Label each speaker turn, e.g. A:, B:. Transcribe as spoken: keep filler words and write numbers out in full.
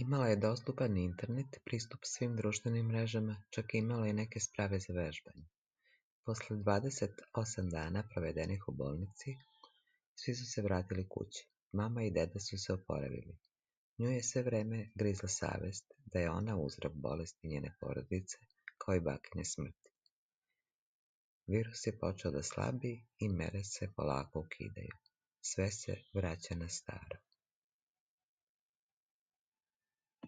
A: Imala je dostupan internet, pristup svim društvenim mrežama, čak je imala i neke sprave za vežbanje. Posle dvadeset osam dana provedenih u bolnici, svi su se vratili kući. Mama i deda su se oporavili. Nju je sve vreme grizla savest da je ona uzrok bolesti njene porodice, kao i bakine smrti. Virus je počeo da slabi i mere se polako ukidaju. Sve se vraća na staro.